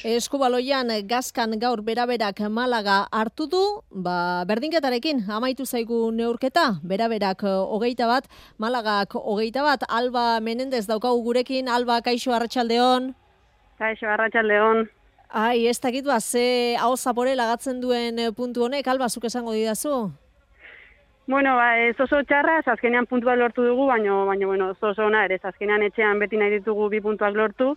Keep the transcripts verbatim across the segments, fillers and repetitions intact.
Eskubaloian Gazkan gaur beraberak Malaga hartu du, ba, berdinketarekin amaitu zaigu neurketa, beraberak hogeita bat, Malagak hogeita bat, Alba Menendez daukagu gurekin. Alba, kaixo, arratsaldeon. Kaixo, arratsaldeon. Ai, ez dakit ba, ze hau zapore lagatzen duen puntu honek, Alba, zuk esango didazu? Bueno, ba, ez oso txarra, azkenean puntua lortu dugu, baina, baina bueno, oso oso ona ere, azkenean etxean beti nahi ditugu bi puntuak lortu,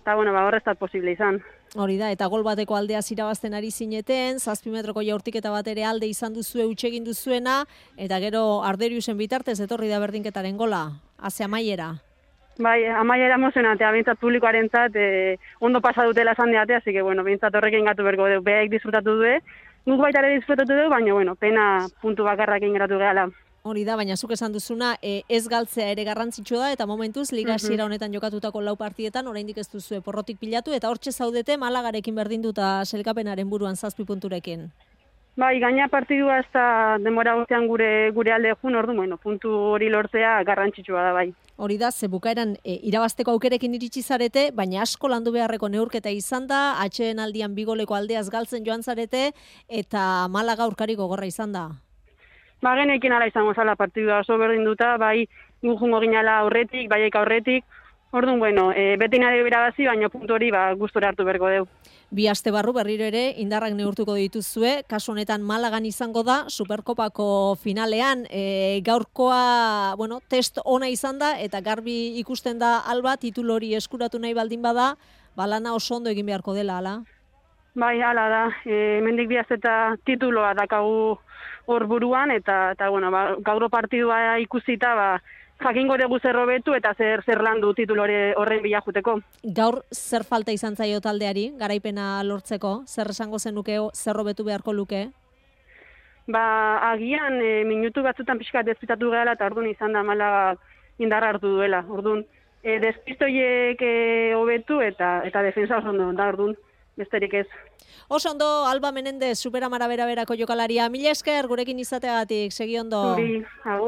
eta bueno, ba, horreztat posible izan. Hori da, eta gol bateko aldea irabazten ari zineten, zazpi metroko jaurtiketa bat ere alde izan duzue, utxegin duzuena, eta gero Arderiusen bitartez etorri da berdinketaren gola, haze amaiera. Bai, amaiera emozionatea, bintzat publikoarentzat eh, ondo pasa dutela esan diate, así que bueno, bintzat horrekin gatu berko dugu, behaik disfrutatu du, guk baita ere disfrutatu dugu, baina bueno, pena puntu bakarrakin geratu gehala. Hori da, baina zuk esan duzuna, e, ez galtzea ere garrantzitsua da, eta momentuz, liga hasiera honetan jokatutako lau partietan, oraindik ez duzue porrotik pilatu, eta hortxe zaudete Malagarekin berdinduta selkapenaren buruan zazpi punturekin. Bai, gaina partidua ez da denbora guztian gure, gure alde jun, ordu, bueno, puntu hori lortzea garrantzitsua da bai. Hori da, ze bukaeran e, irabazteko aukerekin iritsi zarete, baina asko landu beharreko neurketa izan da, atxeen aldian bigoleko aldeaz galtzen joan zarete, eta Malaga aurkari gogorra izan da. Ba, genekin ala izango zala partidua oso berdinduta, bai gu jungo ginala aurretik, baiek aurretik, orduan, bueno, e, beti nahi birabazi, baina puntu hori ba, gustora hartu berko deu. Bi aste barru berriro ere indarrak neurtuko dituzue, kasu honetan Malagan izango da, Superkopako finalean, e, gaurkoa, bueno, test ona izan da, eta garbi ikusten da Alba, titulu hori eskuratu nahi baldin bada, balana oso ondo egin beharko dela, ala? Bai, hala da, e, mendik bihaz eta tituloa dakagu hor buruan, eta, eta bueno, ba, gauro partidua ikusita, ba, jakingo dugu zer hobetu eta zer zer landu titulu horren bila juteko. Gaur zer falta izan zaio taldeari, garaipena lortzeko, zer esango zenuke, zer hobetu beharko luke? Ba, agian e, minutu batzutan pixkat despistatu gehala, eta orduan izan da Malaga indarra hartu duela. Orduan, e, despistoiek hobetu eta eta defensa oso ondo da, orduan. Besterik ez. Oso ondo, Alba Menendez, Superamara beraberako jokalaria. Mila esker, gurekin izateagatik, segi ondo. Zuri, agur.